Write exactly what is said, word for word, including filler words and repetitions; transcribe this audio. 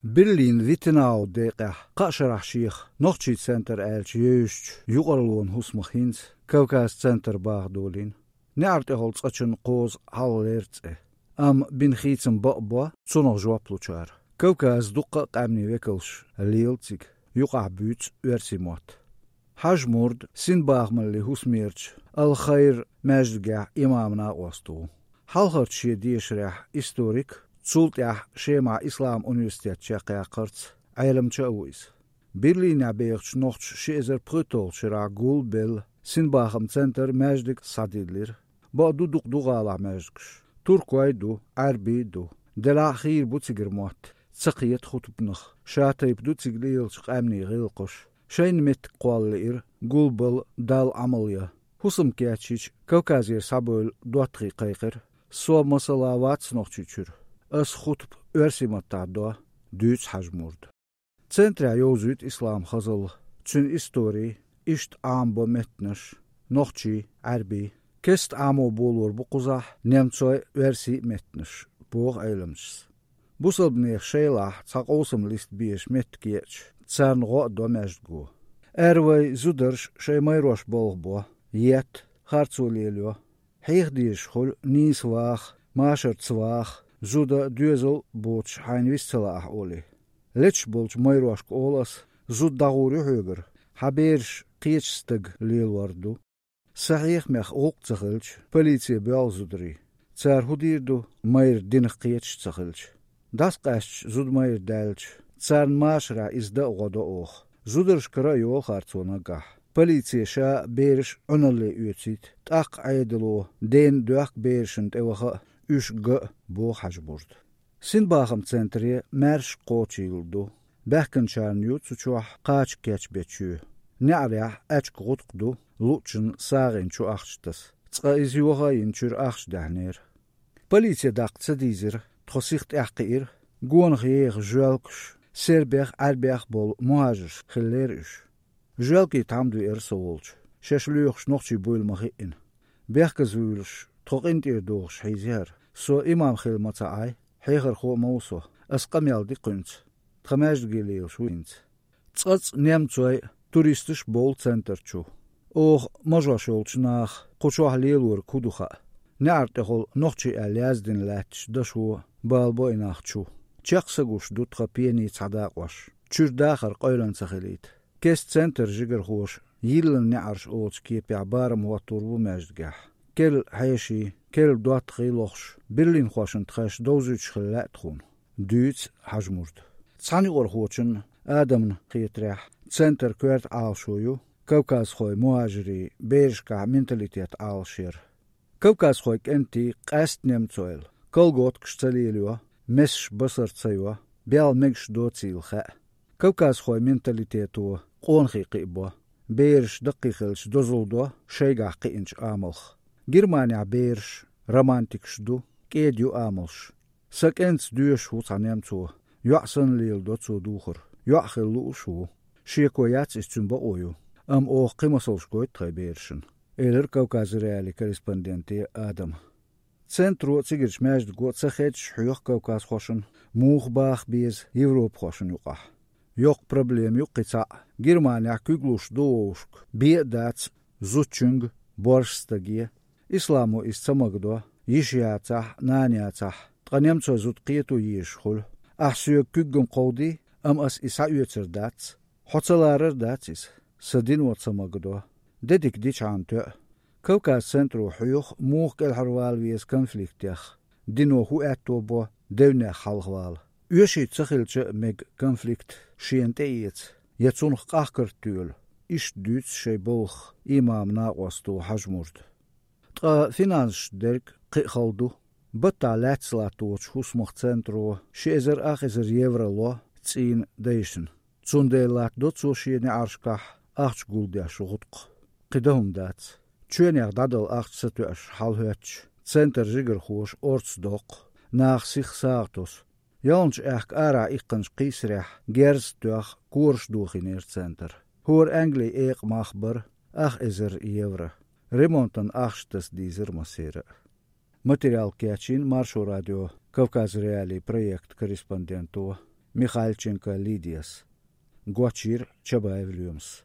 Берлин-Виттенау декъехь кхаа шарахь шех нохчийн центр аьлча евзачу юкъарлонан хӀусамах хӀинца Кавказ-центр баха долийна. НеӀаран тӀехула цкъачунна кхозу хьалхалера цӀе. Амма бина хийцам бакъ бо цунах жоп лучара. Кавказан дуккха а къаьмнийн векалш лела цига, юкъахь буьйцу оьрсийн мотт. Хьажмурд синбахамаллин хӀусамерчу Ал-Хайр маьждигехь имаман накъост ву. Хьалхарчу шен дешарехь историк, цул тӀаьхьа Шемахь ислам университет чекхъяккхарца Ӏеламча а ву иза. Берлинехь бехачу нохчаша ши эзар пхуьйтталгӀачу шарахь гулбелла синбахаман центр маьждигах схьадиллира. Бакъду, дукха ду гӀалахь маьждигаш. Туркойн а ду, Ӏаьрбийн а ду. Делахь а хийра бу цигара мотт, ца кхета хутбанах, шатайпа ду цига лелачу къаьмнийн гӀиллакхаш. Шайна меттиг кхолла лиира гулбалла Далла Ӏамал ян. ХӀусам кечйича, Кавказера схьабевлла доттагӀий кхайкхира: «Со, масала, вац Нохчийчуьра. Ас хутба оьрсийн маттахь до», — дуьйцу Хьажмурда. Центрехь йовзуьйту ислам хазалла, цуьнан истори, иштта Ӏамабо меттанаш, нохчийн, Ӏаьрбийн. Кеста Ӏамо болор бу кхузахь немцойн а, оьрсийн а меттанаш, боху Ӏеламчас. Бусалбанех шайлахь цхьа къовсам листа безаш меттиг еача, царна гӀо а до маьждиго. Аьрру вайн зударша шайн майрош балха бо, етта, харцо лелайо. Хьеха дезаш хуьлу нийса ваха, машарца ваха, зуда, доьзал боцуш хьайна вист ца лаахь олий. Леташ болчу майрошка олу ас: «Зуда дӀагӀур ю хьоьгара, хьан бераш кхечу стага лелор ду». Сан хьехамех гӀуллакх ца хилча, полице боьлху зударий. Цара хӀун дийр ду, майра динах кхеташ ца хилча? ДӀасакъаьсташ зуда майра даьлча, царна машарехь иза дан а гӀо до оха. Зударшкара а йолу харцо наггахь. Полице ша а, бераш а Ӏуьналле оьцийта, тӀаккха Ӏедало дена доьхку берашна тӀеваха а, уьш ган а, боху Хьажмурда. Синбахаман центре маьрша кхочийла ду. Баьхкинчарна ю цу чохь кхача кечбечу. НеӀарехь аьчка гӀутакх ду, луъучунна сагӀина чу ахча таса. Цкъа иза йоха а йина, чуьра ахча даьхьнера. Полице даккха ца дийзира, тхо сиха тӀаьхьакхиира. Гонах еха жоьлкаш, сербех а, Ӏаьрбех а болу мухӀажарш хиллера уьш. Жоьлкийн тхьамда веара со волчу, шаьш лоьхуш нохчий буйла ма-хиъна. Бехказа вуьйлуш, тхо къинтӀера дохуш хьийзира. Со имам хилла ма ца Ӏай, хьехархо а ма ву со, ас къамел ди кхуьнца. Тхан маьждиге лелаш ву хӀинца. Цкъацкъа немцой а, туристаш а бовлу центр чу. Оха, мажош йолчу наха, кху чохь лелориг хӀун ду хаьа. НеӀаран тӀехула нохчий аьлла яздина лаьттачу дашо бала бо и нах чу. Чекх са гуш ду тхан пенийн цхьа дакъош. Чуьра дахар къевлина ца хилийта. Кеста центран жигархоша «Йиллина неӀарш» олучу кепехь барам хӀоттор бу маьждигехь. Керла хьеший, керла доттагӀий лохуш, берлинхошна тхаьш довзуьйтуш хила лаьа тхуна, дуьйцу Хьажмурда. Цхьана юкъархочунна, Адамна хетарехь, центран коьрта Ӏалашо ю кавказхойн мухӀажирийн берашкахь менталитет Ӏалашъяр. Кавказхойн кӀентий къаьсттина немцойла колготкаш ца лелайо, месаш басар ца йо, белла мегаш доцийла хаьа. Кавказхойн менталитето къонахий кхиабо, бераш даккхий хилча дозалла до шайгахь кхиъначу амалх. Германехь бераш романтикаш ду, кӀеда ю амалш. Сан кӀентаца доьшуш ву цхьа немцо, йоӀ санна леладо цо духар, йоӀ хила лууш а ву. Шеко яц иза, цуьнан бакъо ю, амма оха кхин масалш гойту тхайн берашна, элира Кавказ.Реалии корреспонденте Адама. Центро а, цигарчу маьждиго а ца хедаш хьоьху кавказхошна, муха баха беза европахошна юкъахь. Йоккха проблема ю кхин цхьаъ: Германехь куьг луш ду вовшашка, бен а дац зудчуьнга, боьрша стаге. Исламо иза ца магадо, йиша яцахь а, нана яцахь а, ткъа немцойн зуда кхето езаш хуьлу. Ахь соьга куьг-м кховдий, амма ас и схьаоьцур дац. Хьо ца ларар дац иза, сан дино ца магадо. Де дика дичхьана тоьа. Кавказ.Центро хьоьху, муха кӀелхьарвала веза конфликтех, дино хӀун аьтто бо девнех хьалхавала. Оьшуьйту ца хилча а мега конфликт шена тӀеэца, я цунах къахкарт тоьлу, иштта дуьйцу шайн балхах имаман накъосто Хьажмурда. Ткъа финансашца дерг кхин а хала ду. Баттахь лаьцна латточу хӀусамах центро ши эзар ах эзар евро ло цӀийнан дайшна. Цундела латтадо цо шен неӀаршкахь ахча гулдеш гӀутакх. Кхин дан хӀума дац. Чоьнех дӀадала ахча ца тоьаш хьалахӀоьттича, центран жигархоша орца доккху, наха сиха сагӀа тосу. Ялханчу аьхка арахь иккхинчу кхийсарехь герз а тоьхна, кораш дохийнера центр. ХӀора Английн экъа мах бара ах эзар евро. Ремонтан ахча таса дийзира массеран а. Материал кечйина Маршо радион Кавказ.Реалии проектан корреспонденто Михальченко Лидияс. Гочйир Чабаев Лоьмас.